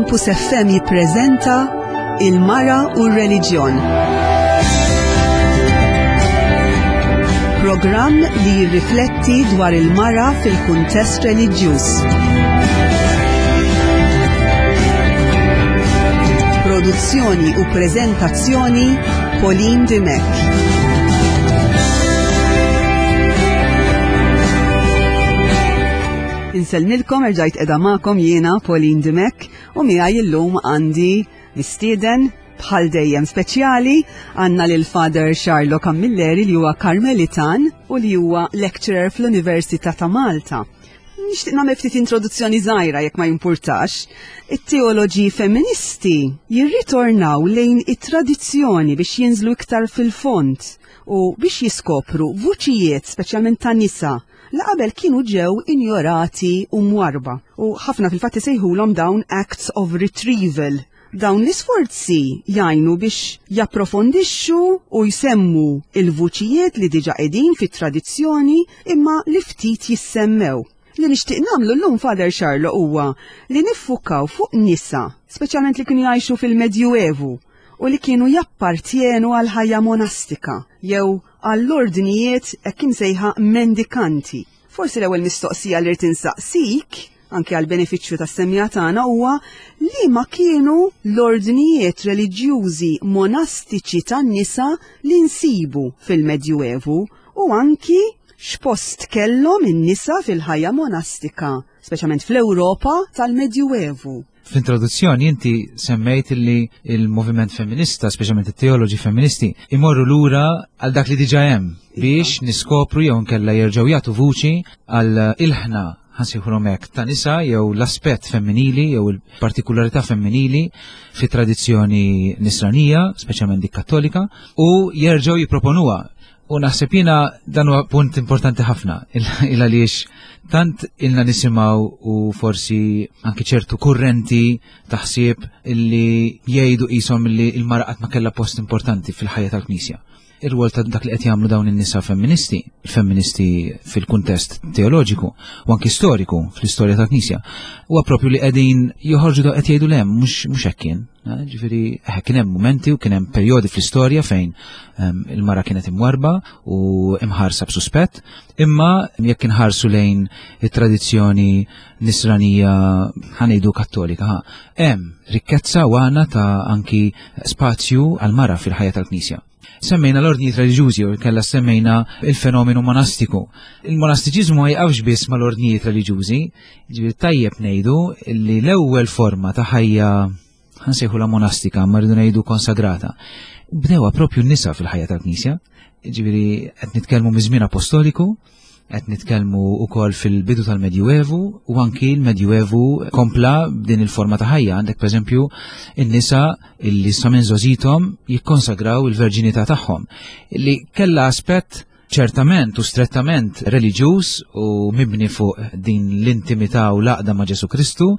Campus FM jippreżenta Il-Mara u r-Reliġjon. Programm li jirrifletti dwar il-mara fil-kuntest reliġjuż. Produzzjoni u preżentazzjoni Pauline Dimech. Insellmilkom erġajt edha magħkom jiena Pauline Dimech u miegħi illum għandi mistieden bħal dejjem speċjali għandna lil Father Charlo Camilleri li huwa Karmelitan u li huwa lecturer fl-Università ta' Malta. Nixtieq nagħmel ftit introduzzjoni żgħira jekk ma jimpurtax. It-teoloġi femministi jirritornaw lejn it-tradizzjoni biex jinżlu iktar fil-fond u biex jiskopru vuċijiet speċjalment ta' nisa li qabel kienu ġew injorati u mwarba. U ħafna fil-fatt isejħulhom dawn acts of retrieval. Dawn l-isforzi jgħinu biex japprofondixxu u jsemmu il-vuċijiet li diġa qegħdin fit-tradizzjoni imma li ftit jissemmew. Li nixtieq nagħmlu llum Father Charlo huwa li niffukaw fuq nisa, speċjalment li kienu jgħixu fil-Medjuevu u li kienu jappartjenu għal ħajja monastika jew għall-ordnijiet hekk imsejħa mendikanti. Forsi l-ewwel mistoqsija li rrid insaqsik, anke għal benefiċċju tas-semmiegħa tagħna huwa li ma kienu l-ordnijiet reliġjużi monastiċi tan-nisa li nsibu fil-Medjuevu u anki x'post kellhom in-nisa fil-ħajja monastika, speċjalment fl-Ewropa tal-Medjuevu. Fl-introduzzjoni inti semmejt li il-moviment femminista, speċjalment it-teoloġi femministi, imorru lura għal dak li diġa hemm biex niskopru jew nkella jerġgħu jagħtu vuċi għal ilħna ħansejħulhom hekk ta' nisa jew l-aspett femminili jew il-partikularità femminili fi tradizzjoni nisranija, speċjalment dik kattolika, u jerġgħu jipproponuha. U naħseb jiena dan huwa punt importanti ħafna il għaliex tant ilna nisimgħu u forsi anki ċertu kurrenti taħsib illi jgħidu qishom illi l-mara qatt ma kellha post importanti fil-ħajja tal-Knisja. Ir-rwol ta' dak li qed jagħmlu dawn in-nisa femministi, il-femministi fil-kuntest teoloġiku u anki storiku fl-istorja tal-Knisja, huwa propju li qegħdin joħorġu da qed jgħidu lem mhux hekk kien. Ġifieri eh, kien hemm mumenti u kien hemm perjodi fl-istorja fejn ehm, il-mara kienet imwarba u imħarsa b'suspett, imma jekk inħarsu lejn it-tradizzjoni nisranija ħanejdu kattolika, hemm rikkezza u għana ta' anki spazju għal-mara fil-ħajja tal-Knisja. Semmejna l-ordnijiet reliġjużi u kella semmejna il-fenomenu monastiku. Il-monastiċiżmu ma jqafx biss mal-ordnijiet reliġjużi, ġifieri tajjeb ngħidu li l-ewwel forma ta' ħajja ħansejħu la monastika, ma rridu ngħidu konsagrata. Bdewa propju n-nisa fil-ħajja tal-Knisja, ġifieri qed nitkellmu miż-żmien apostoliku, Qed nitkellmu wkoll fil-bidu tal-Medjuevu u anki l-Medjuevu kompla b'din il-forma ta' ħajja. Għandek pereżempju in-nisa illi sa minn żożithom jikkonsagraw il-verġinità tagħhom illi kellha aspett ċertament u strettament reliġjuż u mibni fuq din l-intimità u l-għaqda ma' Ġesu Kristu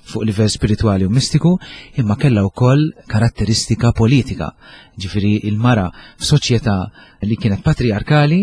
fuq livell spiritwali u mistiku, imma kellha wkoll karatteristika politika. Ġifieri il-mara f'soċjetà li kienet patriarkali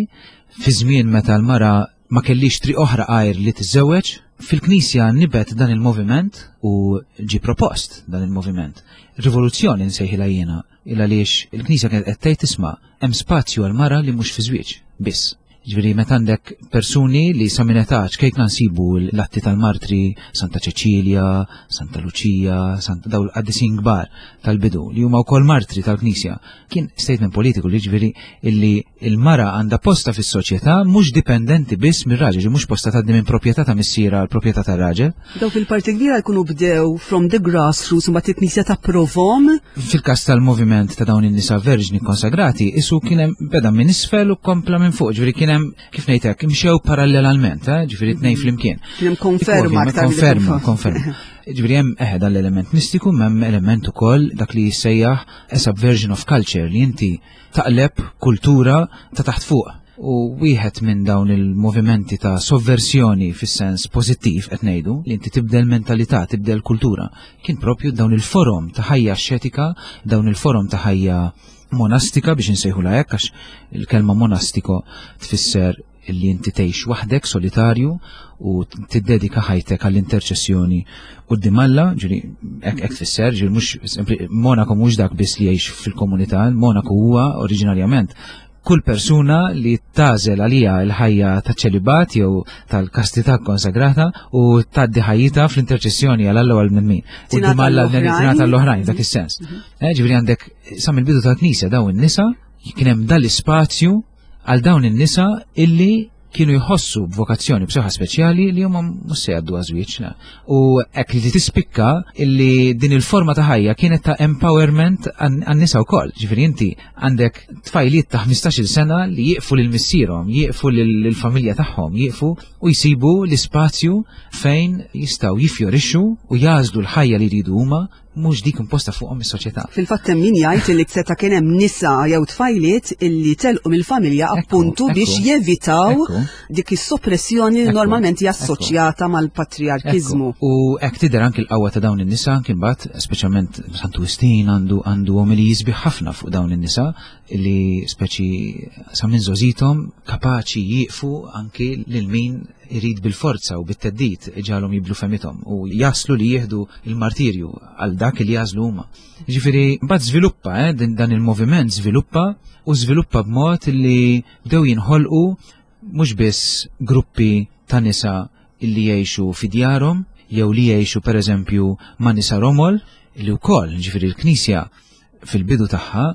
Fi żmien meta l-mara ma kellix triq oħra għajr li tiżżewweġ, fil-Knisja nibet dan il-moviment u ġie propost dan il-moviment. Rivoluzzjoni nsejħilha jiena, il għaliex il-Knisja kienet qed tgħid isma' hemm spazju għal mara li mhux fi żwieġ biss. Ġifieri meta għandek persuni li sa minn età ċkejkna nsibu l-atti tal-martri, Santa Ċeċilja, Santa Luċija, Santa daw l-qaddisin kbar tal-bidu li huma wkoll martri tal-Knisja. Kien statement politiku li ġifieri illi il-mara għandha posta fis-soċjetà mhux dipendenti biss mir-raġel, mhux posta tgħaddi minn proprjetà ta' missiera għal proprjetà tar-raġel. Dawk fil-parti kbira jkunu bdew from the grassroots imbagħad il-Knisja tapprovhom. Fil-każ tal-moviment ta' dawn in-nisa verġni konsagrati, isu kien hemm beda minn isfel u kompla minn fuq, ġifieri kien hemm kif ngħid hekk imxew parallelalment, eh, ġifieri tnejn flimkien. Kien hemm konferma aktar. Konferma, konferma. Ġifieri hemm eħe dan l-element mistiku, hemm element ukoll dak li jissejjaħ a subversion of culture li inti taqleb kultura ta' taħt fuq. U wieħed minn dawn il-movimenti ta' sovversjoni fis-sens pożittiv qed ngħidu li inti tibdel mentalità, tibdel kultura, kien propju dawn il-forom ta' ħajja xetika, dawn il-forom ta' ħajja monastika biex insejħula hekk għax il-kelma monastiko tfisser Illi inti tgħix waħdek solitarju u tiddedika ħajtek għall-interċessjoni quddiem Alla, ġifieri hekk tfisser, ġifieri mhux Monaco mhux dak biss li jgħix fil-komunità, Monaco huwa oriġinarjament kull persuna li tażel għalija l-ħajja ta' ċelibat jew tal-kastità konsagrata u tgħaddi ħajjitha fl-interċessjoni għal Alla u għal bnedmin. Quddiem Alla tingħata l-oħrajn dak is-sens. Eh, ġifieri għandek sa mill-bidu tal-Knisja dawn in-nisa kien hemm dal-ispazju għal dawn in-nisa illi kienu jħossu b'vokazzjoni b'saħħa speċjali li huma mhux se jgħaddu għażwieġ. U hekk li tispikka illi din il-forma ta' ħajja kienet ta' empowerment għan-nisa wkoll. Ġifieri inti għandek tfajliet ta' 15-il sena li jieqfu lil missierhom, jieqfu lill-familja tagħhom, jieqfu u jsibu l-ispazju fejn jistgħu jifjorixxu u jagħżlu l-ħajja li jridu huma mhux dik imposta fuqhom is-soċjetà. Fil-fatt hemm min jgħid li seta' kien hemm nisa jew tfajliet illi telqu mill-familja appuntu biex jevitaw dik is-soppressjoni li normalment hija assoċjata mal-patriarkiżmu. U hekk tidher anki l-qawwa ta' dawn in-nisa anki mbagħad, speċjalment Santu Wistin għandu għandu omili sbieħ ħafna fuq dawn in-nisa li speċi sa minn żgħożithom kapaċi jieqfu anki lil min irid bil-forza u bit-theddid iġagħalhom jibdlu fehmithom u jaslu li jieħdu l-martirju għal dak li jagħżlu huma. Ġifieri mbagħad żviluppa eh, dan il-moviment żviluppa u żviluppa b'mod li bdew jinħolqu mhux biss gruppi ta' nisa illi jgħixu fi djarhom jew li jgħixu pereżempju ma' nisa romol li wkoll ġifieri l-Knisja fil-bidu tagħha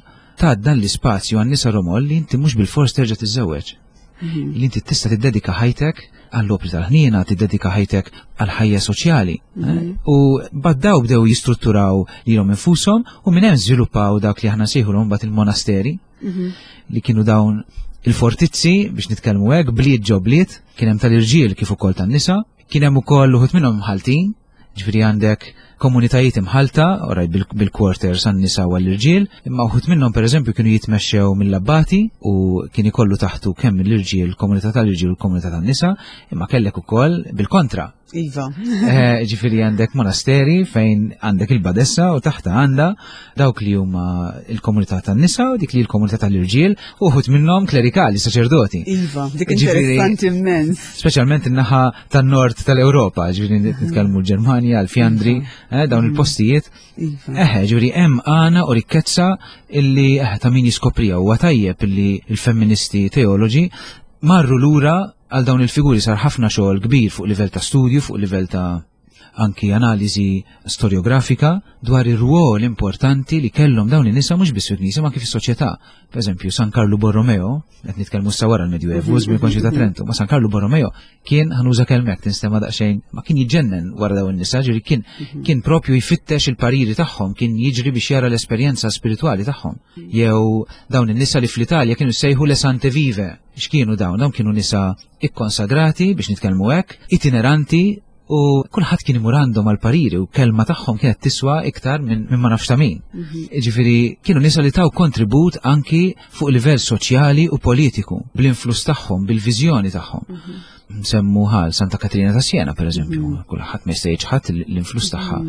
ta' dan l-ispazju għan nisa romol li inti mhux bil-fors terġa' tiżżewweġ. Mhm. Li inti tista' tiddedika ħajtek għall-opri tal-ħniena, tiddedika ħajtek għall-ħajja soċjali. Eh? Mhm. U baddaw bdew jistrutturaw lilhom infushom u minn hemm żviluppaw dak li aħna nsejħulhom mbagħad il-monasteri mhm. li kienu dawn il-fortizzi biex nitkellmu hekk bliet ġo bliet, kien hemm tal-irġiel kif ukoll tan-nisa, kien hemm ukoll uħud minnhom mħaltin, Ġifieri għandek komunitajiet imħalta, oraj bil-quarters għan-nisa u għall-irġiel, imma uħud minnhom pereżempju kienu jitmexxew mill-abbati u kien ikollu taħtu kemm l-irġiel, komunità tal-irġiel u l-komunità tan-nisa, imma kellek ukoll bil-kontra. Iva. Eh, ġifieri għandek monasteri fejn għandek il-badessa u taħta għandha dawk li huma il-komunità tan-nisa u dik li l-komunità tal-irġiel u uħud minnhom klerikali, saċerdoti. Iva, dik interessanti immens. Speċjalment in-naħa tan-nord tal-Ewropa, ġifieri nitkellmu l-Ġermanja, l-Fjandri, eh, dawn mhm. il-postijiet. Iva. Eħe, ġifieri hemm għana u rikkezza illi eh, ta' min jiskoprija huwa tajjeb illi l-femministi teoloġi marru lura għal dawn il-figuri sar ħafna xogħol kbir fuq livell ta' studju, fuq livell ta' anki analiżi storjografika dwar ir-rwol importanti li kellhom dawn in-nisa mhux biss fil-Knisja ma kif is-soċjetà. Pereżempju, San Karlu Borromeo, qed nitkellmu sa wara l-Medjuevu, żmien konċi ta' Trento, ma San Karlu Borromeo kien ħanuża kelmek tinstema' daqsxejn, ma kien jiġġennen wara dawn in-nisa, ġifieri kien mhm. kien propju jfittex il-pariri tagħhom, kien jiġri biex jara l-esperjenza spiritwali tagħhom. Jew dawn in-nisa li fl-Italja kienu sejħu le Sante Vive, x'kienu dawn? Dawn kienu nisa ikkonsagrati biex nitkellmu hekk, itineranti u kulħadd kien imur għandhom għal pariri u kelma tagħhom kienet tiswa iktar minn min ma nafx ta' min. Mhm. Ġifieri kienu nisa li taw kontribut anki fuq livell soċjali u politiku bl-influss tagħhom, bil-viżjoni tagħhom. Mhm. Nsemmu ħal Santa Katrina ta' Siena pereżempju, mhm. kulħadd ma jista' ħadd l-influss tagħha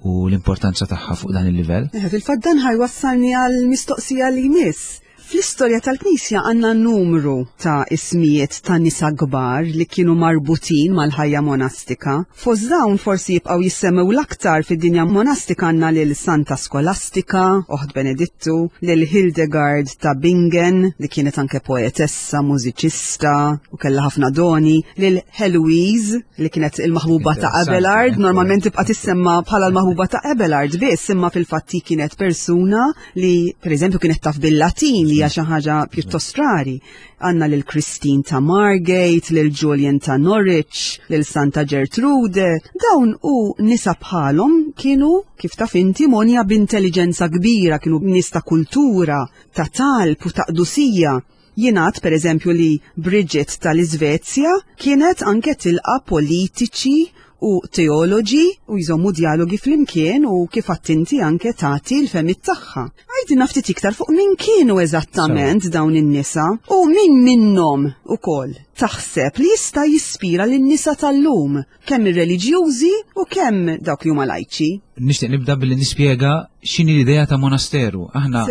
u l-importanza tagħha fuq dan il-livell. Eh, fil-fatt dan ħajwassalni għal mistoqsija li jmiss. Fl-istorja tal-Knisja għandna numru ta' ismijiet ta' nisa kbar li kienu marbutin mal-ħajja monastika. Fost dawn forsi jibqgħu jissemmew l-aktar fid-dinja monastika għandna lil Santa Skolastika, oħt Benedittu, lil Hildegard ta' Bingen li kienet anke poetessa, mużiċista u kellha ħafna doni, lil Heloise li kienet il-maħbuba ta' Abelard, normalment tibqa' tissemma bħala l-maħbuba ta' Abelard biss, imma fil-fatt kienet persuna li pereżempju kienet taf bil-Latin li hija xi ħaġa pjuttost rari. Għandna lil Christine ta' Margate, lil Julian ta' Norwich, lil Santa Gertrude. Dawn u nisa bħalhom kienu kif taf inti monja b'intelligenza kbira, kienu nies ta' kultura, ta' talb u ta' qdusija. Jingħad pereżempju li Bridget tal-Iżvezja kienet anke tilqa' politiċi u teoloġi u jżommu djalogi flimkien u kif għedt inti anke tagħti l-fehmiet tagħha. Għidilna ftit iktar fuq min kienu eżattament dawn in-nisa u min minnhom ukoll. taħseb li jista' jispira lin-nisa tal-lum, kemm ir-reliġjużi u kemm dawk li huma lajċi? Nixtieq nibda billi nispjega x'inhi l-idea ta' monasteru. Aħna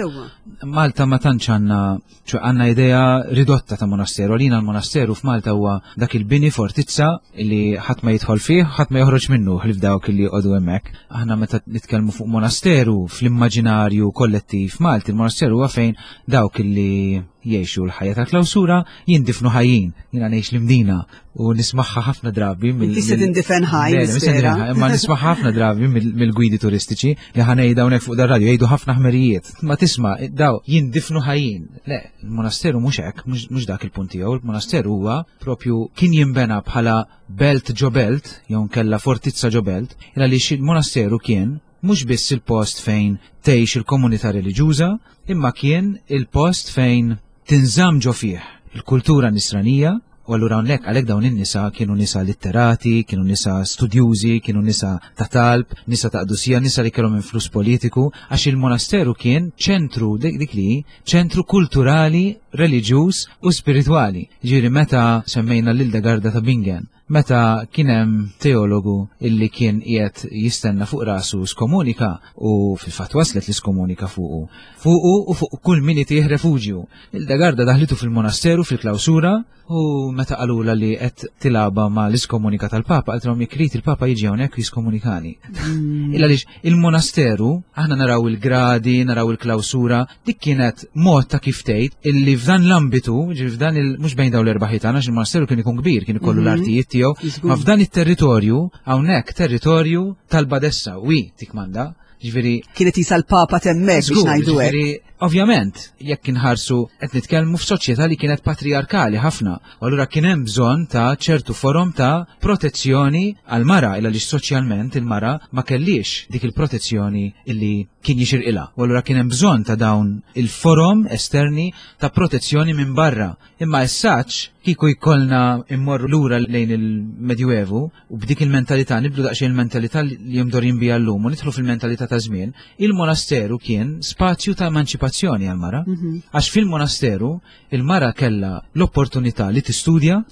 Malta ma tantx għandna ċo għandna idea ridotta ta' monasteru. Għalina l-monasteru f'Malta huwa dak il-bini fortizza li ħadd ma jidħol fih, ħadd ma joħroġ minnu ħlief dawk li joqogħdu hemmhekk. Aħna meta nitkellmu fuq monasteru fl-immaġinarju kollettiv Malti, il-monasteru huwa fejn dawk li jgħixu l-ħajja tal-klawsura jindifnu ħajjin. Jiena ngħix l-Imdina u nismaħħa ħafna drabi mill. Inti se tindifen ħaj. Imma nismaħħa ħafna drabi mill-gwidi turistiċi li ħanejda hawnhekk fuq dar-radju jgħidu ħafna ħmerijiet. Ma tisma' daw jindifnu ħajjin. Le, il-monasteru mhux hekk, mhux dak il-punt tiegħu, il-monasteru huwa propju kien jinbena bħala belt ġo belt, jew nkella fortizza ġo belt, għaliex il-monasteru kien mhux biss il-post fejn tgħix il-komunità reliġjuża, imma kien il-post fejn tinżamm ġo fih il-kultura nisranija, u allura hawnhekk għalhekk dawn in-nisa kienu nisa litterati, kienu nisa studjużi, kienu nisa ta' talb, nisa ta' qdusija, nisa li kellhom influss politiku, għax il-monasteru kien ċentru dik li ċentru kulturali, reliġjuż u spiritwali. Ġifieri meta semmejna lil Garda ta' Bingen, Meta kien hemm teologu illi kien qiegħed jistenna fuq rasu skomunika u fil-fatt waslet l-iskomunika fuqu, fuqu u fuq kull min itih refuġju. Hildegarda daħlitu fil-monasteru fil-klawsura u meta qalulha li qed tilgħabha ma' l-iskomunika tal-Papa qaltilhom jekk irid il-Papa jiġi hawnhekk u jiskomunikani. Illa għaliex il-monasteru, aħna naraw il-gradi, naraw il-klawsura, dik kienet mod ta' kif tgħid illi f'dan l-ambitu, ġifieri f'dan il mhux bejn dawn l-erba' ħitan għax il-monasteru kien ikun kbir, kien ikollu mhm. l-artijiet tiegħu, ma f'dan it-territorju hawnhekk territorju tal-Badessa wi tikmanda, ġifieri Kienet jisa l-Papa temmek biex ngħidu hekk. Ovvjament, jekk inħarsu qed nitkellmu f'soċjetà li kienet patrijarkali ħafna, u allura kien hemm bżonn ta' ċertu forom ta' protezzjoni għall-mara illa li soċjalment il-mara ma kellix dik il-protezzjoni illi kien jixirqilha. U allura kien hemm bżonn ta' dawn il-forom esterni ta' protezzjoni minn barra. Imma essaċ kieku jkollna immorru lura lejn il-Medjuevu u b'dik il-mentalità nibdu daqsxejn il-mentalità li jimdorin biha llum u nidħlu fil-mentalità ta' żmien, il-monasteru kien spazju ta' emanċipazzjoni għall-mara. Mhm. Għax fil-monasteru il-mara kellha l-opportunità li tistudja,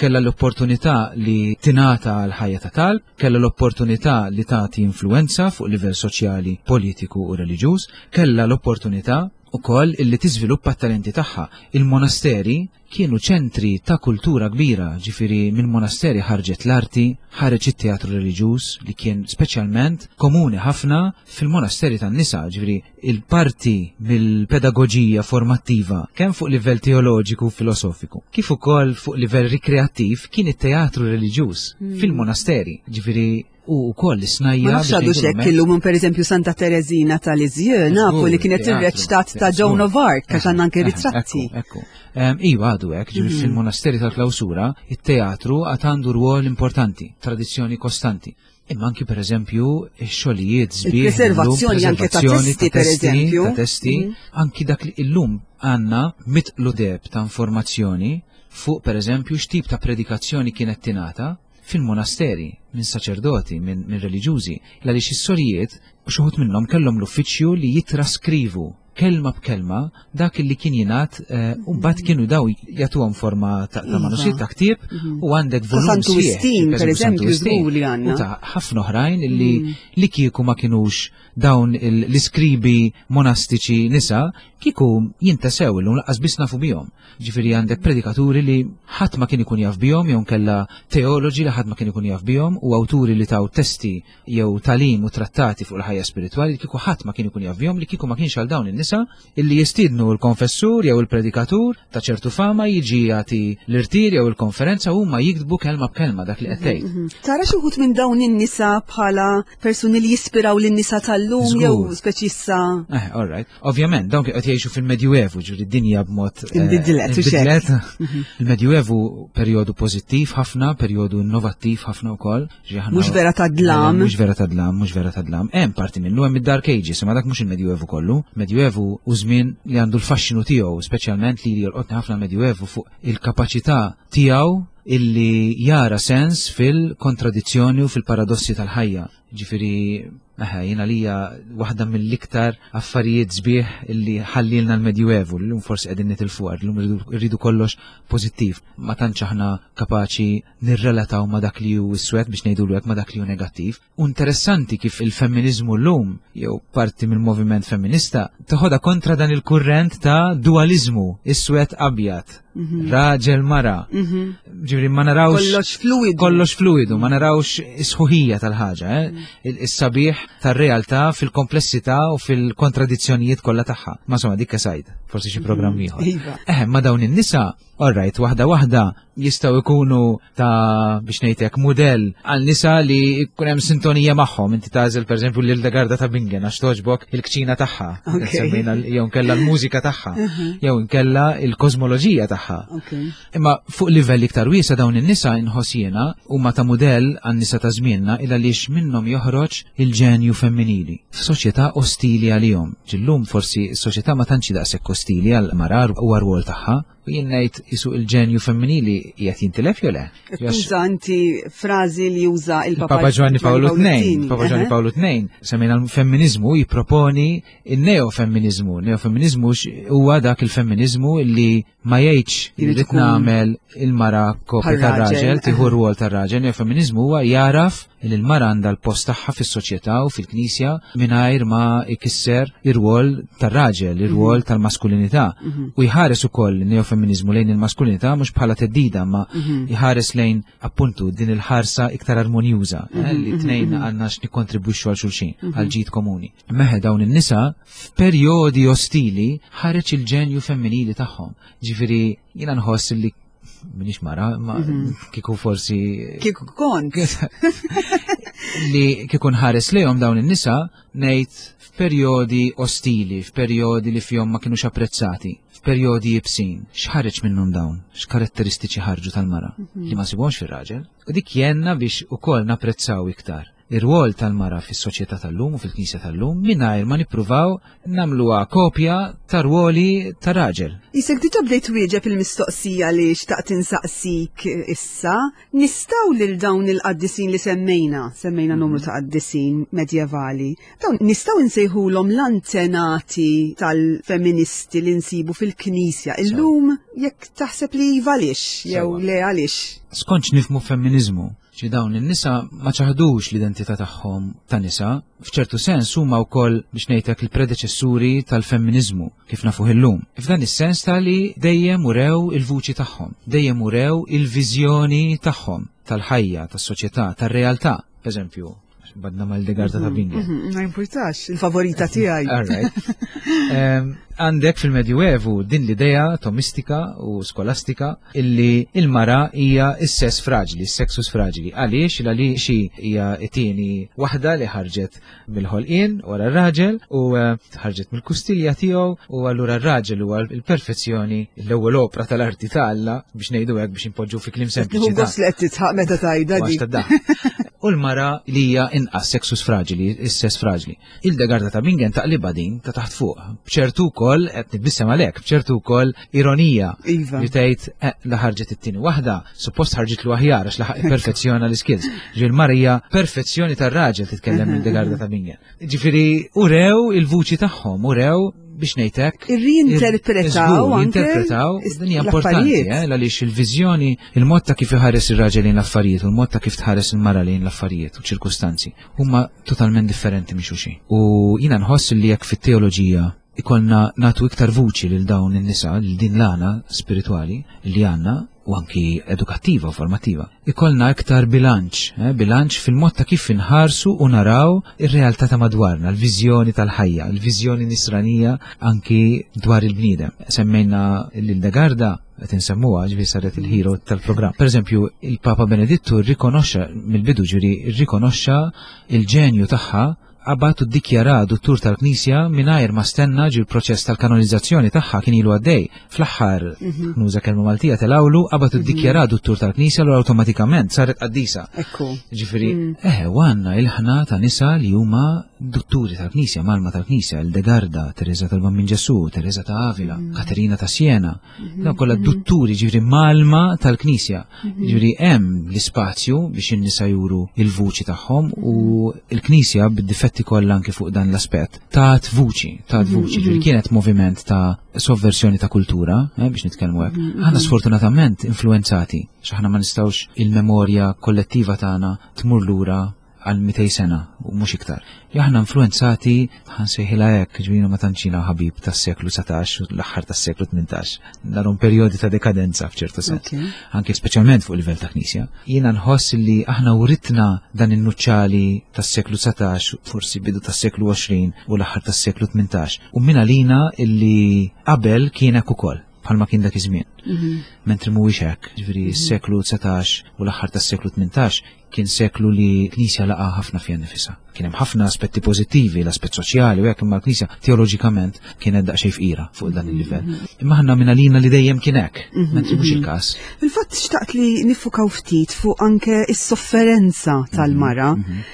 kellha l-opportunità li tingħata l-ħajja ta' talb, kellha l-opportunità li tagħti influenza fuq livell soċjali, politiku u reliġjuż, kellha l-opportunità ukoll illi tiżviluppa t-talenti tagħha. Il-monasteri kienu ċentri ta' kultura kbira, ġifieri mill-monasteri ħarġet l-arti, ħareġ it-teatru reliġjuż li kien speċjalment komuni ħafna fil-monasteri tan-nisa, ġifieri il-parti mill-pedagoġija formattiva kemm fuq livell teoloġiku u filosofiku, kif ukoll fuq livell rikreattiv kien it-teatru reliġjuż hmm. fil-monasteri, ġifieri u wkoll is-snajja. Ma nafx għadu xekk illum per eżempju Santa Teresina tal-Iżjö nafu li kienet irreċtat ta' Joan of Arc għax għandna anke ritratti. Ekku, Iva għadu hekk, ġifieri mhm. fil-monasteri tal-klawsura, it-teatru għad għandu rwol importanti, tradizzjoni kostanti. Imma anki per eżempju xogħlijiet sbieħ. Preservazzjoni anke ta' testi per eżempju. Ta' testi, mhm. anki dak li illum għandna mitqlu deb ta' informazzjoni fuq per eżempju x'tip ta' predikazzjoni kienet tingħata fil-monasteri minn saċerdoti, minn min reliġjużi, għaliex is-sorijiet xi minnhom kellhom l-uffiċċju li jitraskrivu kelma b'kelma dak li kien jingħad eh, u mbagħad kienu daw jagħtuhom forma ta' iva. manuskritt ta' ktieb mhm. u għandek volum Santu Wistin, per eżempju, żgur li għandna. U ta' ħafna oħrajn illi mhm. li kieku ma kinux dawn l-iskribi monastiċi nisa kieku jintasew illum laqqas biss nafu bihom. Ġifieri għandek predikaturi li ħadd ma kien ikun jaf bihom jew kella teoloġi li ħadd ma kien ikun jaf bihom u awturi li taw testi jew talim u trattati fuq il-ħajja spiritwali li kieku ħadd ma kien ikun jaf bihom li kieku ma kienx għal dawn in-nisa illi jistiednu l-konfessur jew il-predikatur ta' ċertu fama jiġi jagħti l-irtir jew il-konferenza huma jiktbu kelma b'kelma dak li qed tgħid. Mhm, mhm. Tara xi wħud minn dawn in-nisa bħala persuni li jispiraw lin-nisa tal-lum jew speċi issa. Eh, all right. Ovvjament, dawn qed jgħixu fil-Medjuevu, ġifieri d-dinja b'mod eh, inbidlet. Inbidlet. Mhm. Il-Medjuevu perjodu pożittiv ħafna, perjodu innovattiv ħafna wkoll. Mhux vera ta' dlam. Mhux vera ta' dlam, mhux vera ta' dlam. Hemm parti minnu hemm id-Dark Ages, imma dak mhux il-Medjuevu kollu. Medjuevu u żmien li għandu l-faxxinu tiegħu, speċjalment li jolqotni ħafna l-Medjuevu fuq il-kapaċità tiegħu illi jara sens fil-kontradizzjoni u fil-paradossi tal-ħajja. Ġifieri, eħe, jiena lija waħda mill-iktar affarijiet sbieħ illi ħallilna l-Medjuevu, llum forsi qegħdin nitilfu għar, llum irridu kollox pożittiv. Ma tantx aħna kapaċi nirrelataw ma dak li hu iswed biex ngħidulu hekk ma dak li hu negattiv. U interessanti kif il-femminizmu llum, jew parti mill-moviment femminista, toħodha kontra dan il-kurrent ta' dualizmu, iswed abjad. Mhm. Raġel mara. Mhm. Ġifieri ma narawx. Kollox fluidu. Kollox fluidu, ma narawx is-sħuħija tal-ħaġa, eh? Mhm. Is-sabiħ tar-realtà fil-komplessità u fil-kontradizzjonijiet kollha tagħha. Ma insomma dik sajd, forsi xi programm ieħor. Iva. Eh, ma dawn in-nisa, all right, waħda waħda jistgħu jkunu ta' biex ngħidlek mudell għal nisa li jkun hemm sintonija magħhom. Inti tagħżel pereżempju lil Garda ta' Bingen għax toġbok il-kċina tagħha, semmejna jew nkella l-mużika tagħha, jew nkella l-kosmoloġija tagħha. Imma fuq livell iktar wiesa dawn in-nisa inħoss jiena huma ta' mudell għan-nisa ta' żmienna il għaliex minnhom joħroġ il-ġenju femminili f'soċjetà ostili għalihom. Ġillum forsi s-soċjetà ma tantx daqshekk ostili għal marar u għar-rwol tagħha, U jien ngħid isu il-ġenju femminili qiegħed jintilef jew le? Tuża inti frażi li juża il-Papa Papa Ġwanni Pawlu II. Papa Ġwanni Pawlu II semmejna l-femminizmu jipproponi il-neofemminizmu. Neofemminizmu huwa dak il-femminizmu li ma jgħidx li rrid nagħmel il-mara kopja tar-raġel, tieħu rwol tar-raġel. Neofemminizmu huwa jaraf li l-mara għandha l-post tagħha fis-soċjetà u fil-Knisja mingħajr ma jkisser ir-rwol tar-raġel, ir-rwol mhm. tal-maskulinità. Mhm. U jħares ukoll neofemminizmu lejn il-maskulinità mhux bħala teddida, ma mhm. jħares lejn appuntu din il-ħarsa iktar armonjuża eh, li tnejn għandna x'nikkontribwixxu għal xulxin, għal ġid komuni. Meħe dawn in-nisa f'perjodi ostili ħareġ il-ġenju femminili tagħhom. Ġifieri jiena nħoss li minix mara, ma mhm. kiku forsi. Kiku kont. li kiku nħares lejhom dawn in-nisa ngħid f'perjodi ostili, f'perjodi li fihom ma kinux apprezzati, f'perjodi jibsin. X'ħareġ minnhom dawn? X'karatteristiċi ħarġu tal-mara mhm. li ma sibhomx fir-raġel? U dik jenna biex ukoll napprezzaw iktar ir-rwol tal-mara fis-soċjetà tal-lum u fil-Knisja tal-lum mingħajr ma nippruvaw nagħmluha kopja ta' rwoli ta' raġel. Isek diġà bdejt wieġeb il-mistoqsija li xtaqt insaqsik issa, nistgħu lil dawn il-qaddisin li semmejna, semmejna numru ta' qaddisin medjevali, dawn nistgħu nsejħulhom l-antenati tal-feministi li nsibu fil-Knisja illum jekk taħseb li iva għaliex jew le għaliex. Skont x'nifhmu femminiżmu, Ġi dawn in-nisa ma ċaħdux l-identità tagħhom ta' nisa, f'ċertu sens huma wkoll biex ngħidlek il-predeċessuri tal-femminiżmu kif nafuh illum. F'dan is-sens ta' li dejjem urew il-vuċi tagħhom, dejjem urew il-viżjoni tagħhom tal-ħajja, tas-soċjetà, tar-realtà. Eżempju, badna mal-degarda ta' mhm, Bingen. Mhm, ma importax, il-favorita tiegħi. All right. Għandek fil-Medjuevu din l-idea tomistika u skolastika illi il-mara hija s-sess fraġli, s-sexus fraġli. Għaliex? Għaliex hija t-tieni waħda li ħarġet mill-ħolqien wara r-raġel u eh, ħarġet mill-kustilja tiegħu u allura r-raġel huwa l-perfezzjoni l-ewwel opra tal-arti ta' Alla biex ngħidu hekk biex inpoġġu fi kliem sempliċi. Gost li qed titħaq meta tajda di. U l-mara li hija inqas sexus fraġili, is-sess fraġli. Il-degarda ta' Bingen taqliba din ta' taħt fuq. B'ċertu wkoll qed nitbissem għalhekk, b'ċertu wkoll ironija. Iva. Li tgħid eh, la ħarġet it-tieni waħda, suppost ħarġitlu aħjar għax laħaq perfezzjona l-iskills. Ġifieri l-mara hija perfezzjoni tar-raġel titkellem il-degarda ta' Bingen. Ġifieri urew il-vuċi tagħhom, urew biex ngħidlek. Irrinterpretaw Jinterpretaw, din hija importanti, eh, għaliex il-viżjoni, il-mod ta' kif iħares ir-raġel lejn l-affarijiet u l-mod ta' kif tħares il-mara lejn l-affarijiet u ċirkustanzi huma totalment differenti minn xulxin. U jiena nħoss li jekk fit-teoloġija ikollna nagħtu iktar vuċi lil dawn in-nisa, lil din l-għana spiritwali li għandna u anki edukattiva u formattiva. Ikollna iktar bilanċ, eh, bilanċ fil-mod ta' kif inħarsu u naraw ir-realtà ta' madwarna, l-viżjoni tal-ħajja, l-viżjoni nisranija anki dwar il-bniedem. Semmejna lil Degarda qed insemmuha ġifieri saret il-hero tal-programm. Pereżempju, il-Papa Benedittu rrikonoxxa mill-bidu ġifieri rrikonoxxa il-ġenju tagħha. Qabad u ddikjara duttur tal-Knisja mingħajr ma stenna ġi l-proċess tal-kanonizzazzjoni tagħha kien ilu għaddej. Fl-aħħar, mhm. nuża kelma Maltija telawlu, qabad u mhm. ddikjara duttur tal-Knisja l awtomatikament saret qaddisa. Ekku. Ġifieri, mm. eħe, u għandna il-ħna ta' nisa li huma dutturi tal-Knisja, malma tal-Knisja, il-Degarda, Teresa tal-Bambin Ġesu, Teresa ta' Avila, mm. Katerina ta' Siena, mhm. Dawn kollha dutturi ġifieri malma tal-Knisja. Ġifieri hemm l-ispazju biex in-nisa juru il-vuċi tagħhom u l-Knisja bid-difetti kollha anki fuq dan l-aspett tat vuċi, tat vuċi, ġifieri kienet moviment ta' sovversjoni ta' kultura, eh, biex nitkellmu hekk. Aħna sfortunatament influenzati, x'aħna ma nistgħux il-memorja kollettiva tagħna tmur lura għal 200 sena u mhux iktar. Li aħna influenzati ħansejħilha hekk, ġifieri ma tantxina ħabib tas-seklu 19 u l-aħħar tas-seklu 18. Narhom perjodi ta' dekadenza f'ċertu sens. Anke speċjalment fuq livell ta' knisja. Jiena nħoss li aħna writna dan in-nuċċali tas-seklu 19, forsi bidu tas-seklu 20 u l-aħħar tas-seklu 18. U min għalina illi qabel kien hekk ukoll bħalma kien dak iż-żmien. Mhm. Mentri mhuwiex hekk, ġifieri mhm. s-seklu 19 u l-aħħar tas-seklu 18 Kien seklu li l-Knisja laqa' ħafna fiha nnifisha. Kien hemm ħafna aspetti pożittivi, l-aspett soċjali u hekk imma l-Knisja teoloġikament kienet daqsxejn fqira fuq dan il-livell. Mhm. Imma aħna minn għalina li dejjem kien hekk, mhm, mentri mhux mhm. il-każ. Fil-fatt xtaqt li nifukaw ftit fuq anke is-sofferenza tal-mara.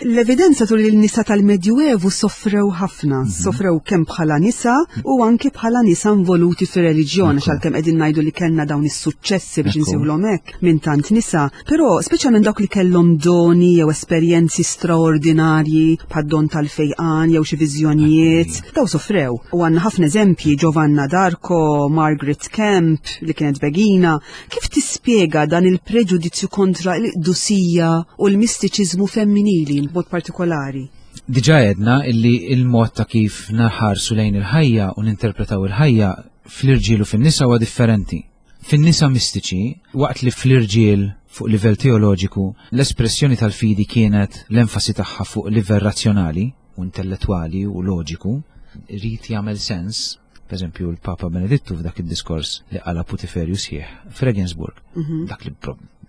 L-evidenza turi li l-nisa tal-Medjuevu soffrew ħafna, soffrew kemm bħala nisa u anke bħala nisa involuti fir-reliġjon, għax għalkemm qegħdin ngħidu li kellna dawn is-suċċessi biex insejħulhom hekk minn tant nisa, Però, speċjalment dawk li kellhom doni jew esperjenzi straordinarji bħad-don tal-fejqan jew xi viżjonijiet, daw sofrew. U għandna ħafna eżempji Giovanna d'Arco, Margaret Kemp li kienet begina. Kif tispjega dan il-preġudizzju kontra l-qdusija u l-mistiċiżmu femminili b'mod partikolari? Diġà għedna illi il-mod ta' kif naħarsu lejn il-ħajja u ninterpretaw il-ħajja fl-irġiel u fin-nisa huwa differenti. Fin-nisa mistiċi, waqt li fl-irġiel fuq livell teoloġiku l-espressjoni tal-fidi kienet l-enfasi tagħha fuq livell razzjonali u intellettwali u loġiku, irid jagħmel sens, pereżempju l-Papa Benedittu f'dak id-diskors li qala putiferju sħiħ f'Regensburg, mhm. dak li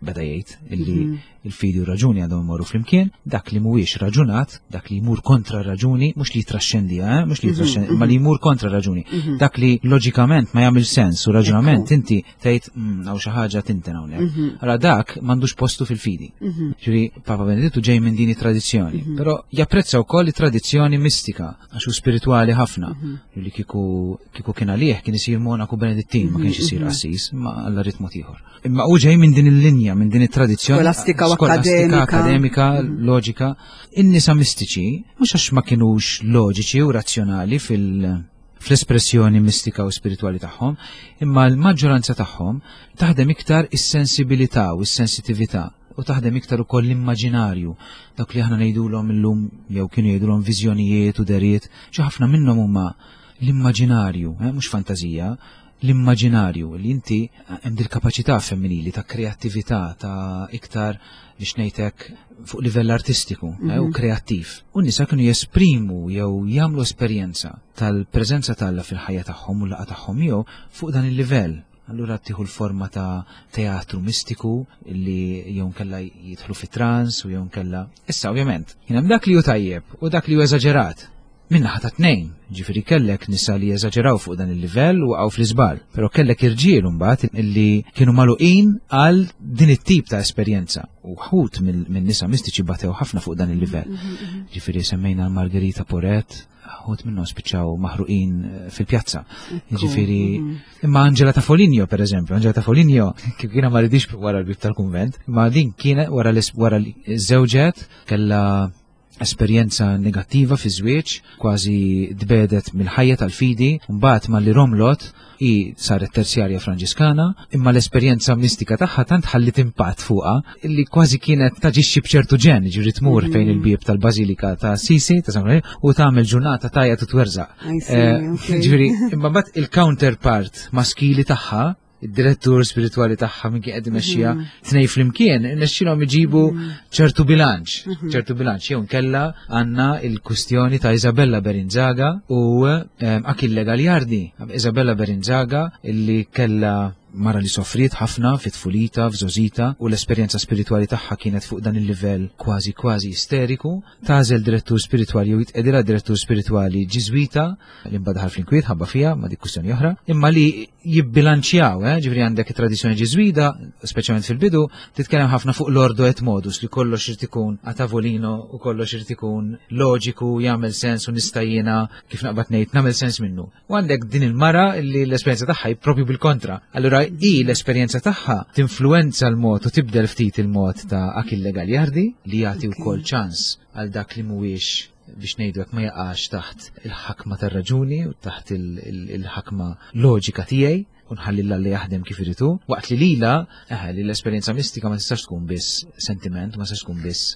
beda jgħid illi mhm. Il-fidi u raġuni għandhom imorru flimkien, dak li mhuwiex raġunat, dak li jmur kontra raġuni, mhux li jitraxxendi, eh? mhux li mhm, jitraxxendi, ma li mhm. jmur kontra raġuni. Mhm. Dak li loġikament ma jagħmel sens u raġunament inti tgħid mm, hawn xi ħaġa tinten hawnhekk. Allora dak m'għandux postu fil-fidi. Ġifieri Papa Benedittu ġej minn din it-tradizzjoni, però japprezza wkoll it-tradizzjoni mistika għax hu spiritwali ħafna. Li kieku kieku kien għalih kien isir monaku Benedittin, ma kienx isir qassis, ma alla ritmu ieħor. Imma u ġej minn din il-linja, minn din it-tradizzjoni. Skolastika u akademika. Akademika, mhm. loġika. In-nisa mistiċi, mhux għax ma kinux loġiċi u razzjonali fil- fl-espressjoni mistika u spiritwali tagħhom, imma l-maġġoranza tagħhom taħdem iktar is-sensibilità u s-sensitività u taħdem iktar ukoll l-immaġinarju, dak li aħna ngħidulhom illum jew kienu jgħidulhom viżjonijiet u deriet, xi ħafna minnhom huma l-immaġinarju, eh, mhux fantażija, l-immaġinarju li inti hemm dil-kapaċità femminili ta' kreattività ta' iktar biex ngħidlek fuq livell artistiku mm -hmm. eh, u mhm. kreattiv. U nisa kienu jesprimu jew jagħmlu esperjenza tal-preżenza t'Alla fil-ħajja tagħhom u l-laqgħa tagħhom jew fuq dan il-livell. Allura tieħu l-forma ta' teatru mistiku li jew nkella jidħlu fi trans u jew nkella. Issa ovvjament, kien hemm dak li hu tajjeb u dak li hu eżaġerat. Min-naħa ta' tnejn, ġifieri kellek nisa li eżaġeraw fuq dan il-livell u waqgħu fl-iżball, però kellek irġiel imbagħad illi kienu magħluqin għal din it-tip ta' esperjenza. U ħut minn nisa mistiċi batew ħafna fuq dan il-livell. Mhm, mhm. Ġifieri semmejna Margherita Poret, ħut minnhom spiċċaw maħruqin eh, fil-pjazza. Ġifieri mhm. imma Angela ta' Foligno per eżempju, Angela ta' Foligno kif kiena ma ridix wara l-bib tal-kunvent, ma din kienet wara wara żewġet kellha esperjenza negattiva fi żwieġ, kważi tbedet mill-ħajja tal-fidi, mbagħad malli romlot hi saret terzjarja Franġiskana, imma l-esperjenza mistika tagħha tant ħallit impatt fuqha li kważi kienet taġixxi b'ċertu ġen, ġifieri tmur fejn il-bieb tal-Bażilika ta' Assisi ta' San u tagħmel ġurnata tajja u twerżaq. Eh, ġifieri, imma mbagħad il-counterpart maskili tagħha id-direttur spiritwali tagħha minn kien qed imexxiha mhm. tnej flimkien, irnexxilhom iġibu mhm. ċertu bilanċ, mhm. ċertu bilanċ jew nkella għandna il-kwistjoni ta' Isabella Berinzaga u ehm, Achille Gagliardi. Isabella Berinzaga illi kella Mara li soffriet ħafna fit-tfulita, f'żgħożitha, u l-esperjenza spiritwali tagħha kienet fuq dan il-livell kważi kważi isteriku, tagħżel direttur spiritwali jew jitqegħdilha direttur spiritwali Ġiżwita, li mbagħad daħal fl-inkwiet ħabba fiha, ma dik kwistjoni oħra, imma li jibbilanċjaw, eh, ġifieri għandek it-tradizzjoni Ġiżwita, speċjalment fil-bidu, titkellem ħafna fuq l-ordo et modus li kollox irid ikun a tavolino u kollox irid ikun loġiku, jagħmel sens u nista' jiena kif naqbad ngħid nagħmel sens minnu. U għandek din il-mara li l-esperjenza tagħha hi propju bil-kontra. Allura hi l-esperjenza tagħha tinfluwenza l-mod u tibdel ftit il-mod ta' Achille Gagliardi li jagħti wkoll ċans għal dak li mhuwiex biex ngħidu hekk ma jaqax taħt il-ħakma tar-raġuni u taħt il-ħakma loġika tiegħi u nħalli l li jaħdem kif irid hu, waqt li lila, eħe, li l-esperjenza mistika ma tistax tkun biss sentiment, ma tistax tkun biss.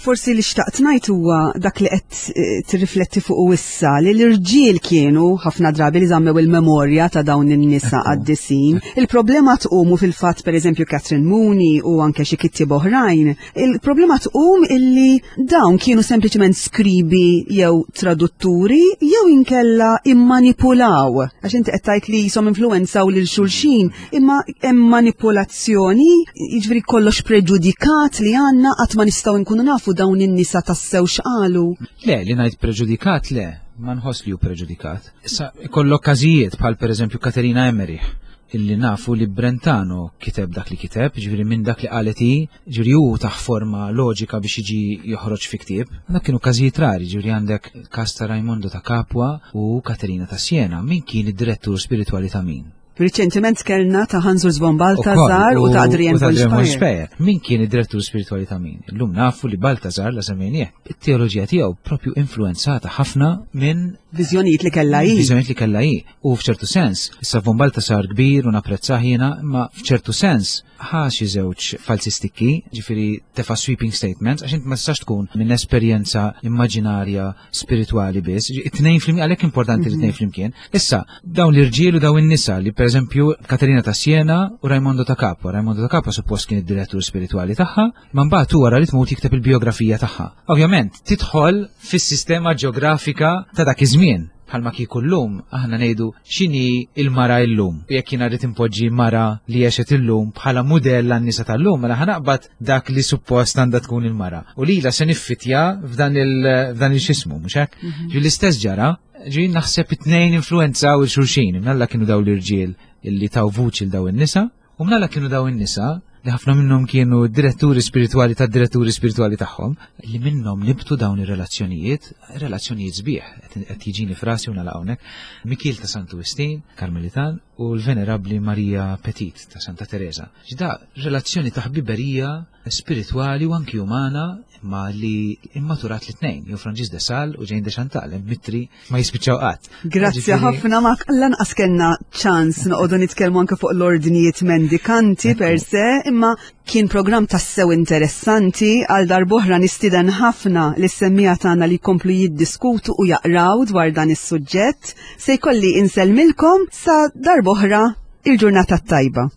Forsi li xtaqt ngħid huwa dak li qed eh, tirrifletti fuq issa li l-irġiel kienu ħafna drabi li żammew il-memorja ta' dawn in-nisa qaddisin. Il-problema tqum u fil-fatt pereżempju Catherine Mooney u anke xi kittieb oħrajn, il-problema tqum illi dawn kienu sempliċement skribi jew tradutturi jew inkella immanipulaw. Għax inti qed tgħid li jisom influenzaw lil xulxin, imma hemm manipulazzjoni, jiġifieri kollox preġudikat li għandna qatt ma nistgħu nkunu nafu dawn in-nisa tassew x'qalu. Le, li ngħid preġudikat le, ma nħoss li hu preġudikat. Issa ikollok każijiet bħal pereżempju Katerina Emmerich illi nafu li Brentano kiteb dak li kiteb, ġifieri minn dak li qalet hi, ġifieri hu taħ forma loġika biex jiġi joħroġ fi ktieb. Dak kienu każijiet rari, ġifieri għandek każ ta' Raimondo ta' Capua u Katerina ta' Siena, min kien id-direttur spiritwali ta' min? Riċentement kellna ta' Hans Urs von Balthasar u ta' Adrian von Speyer. Min kien id-direttur spiritwali ta' min? Illum nafu li Balthasar la semmejnieh. It-teoloġija tiegħu propju influenzata ħafna minn viżjonijiet li kellha hi. Viżjonijiet li kellha hi. U f'ċertu sens, issa von Balthasar kbir u napprezzah jiena, imma f'ċertu sens ħa xi żewġ falsi stikki, ġifieri tefa' sweeping statements, għax int ma tistax tkun minn esperjenza immaġinarja spiritwali biss, it-tnejn flimkien, għalhekk importanti li tnejn mhm. flimkien. Issa, dawn l-irġiel u dawn in-nisa li pereżempju Katerina ta' Siena u Raimondo ta' Capua. Raimondo ta' Capua suppost kien id-direttur spiritwali tagħha, ma mbagħad wara li tmut jikteb il-biografija tagħha. Ovvjament, tidħol fis-sistema ġeografika ta' dak iż-żmien bħalma kieku llum aħna ngħidu x'inhi il-mara illum. U jekk jiena rrid impoġġi mara li għexet illum bħala mudell għan-nisa tal-lum, mela ħanaqbad dak li suppost għandha tkun il-mara. U lila se niffitja f'dan il-xismu, mhux hekk? Mhm. Ġi l-istess ġara, ġi naħseb it-tnejn influenzaw il-xulxin, imnalla kienu daw l-irġiel illi taw vuċi l daw in-nisa, U mnalla kienu daw in-nisa li ħafna minnhom kienu diretturi spiritwali tad diretturi spiritwali tagħhom, li minnhom nibtu dawn ir-relazzjonijiet, relazzjonijiet sbieħ, qed jiġini frasi u nagħlaq hawnhekk, Mikiel ta' Santu Wistin, Karmelitan, u l-Venerabbli Marija Petit ta' Santa Teresa. Ġda relazzjoni ta' ħbiberija spiritwali u anki umana imma li immaturat li tnejn, jew Franġis de Sal u Jane de Chantal, mitri ma jispiċċaw qatt. Grazzi ħafna ma lanqas kellna ċans noqogħdu nitkellmu anke fuq l-ordnijiet mendikanti per se, imma kien programm tassew interessanti għal darbohra nistieden ħafna li semmija tagħna li jkomplu jiddiskutu u jaqraw dwar dan is-suġġett. Se jkolli insellmilkom sa darbohra il-ġurnata tajba.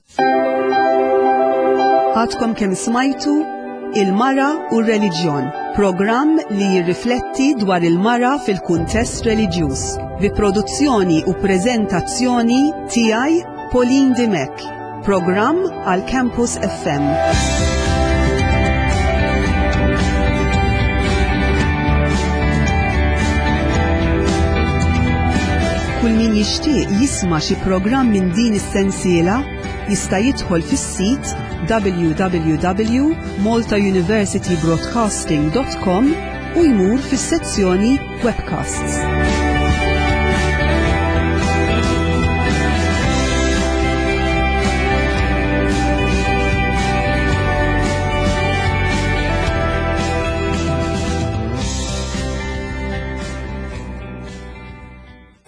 Għadkom kemm smajtu Il-Mara u r-Reliġjon, programm li jirrifletti dwar il-mara fil-kuntest reliġjuż, bi produzzjoni u preżentazzjoni tiegħi Pauline Dimech, programm għal Campus FM. Kull min jixtieq jisma' xi programm minn din is-sensiela jista' jidħol fis-sit www.maltauniversitybroadcasting.com u jmur fis-sezzjoni Webcasts.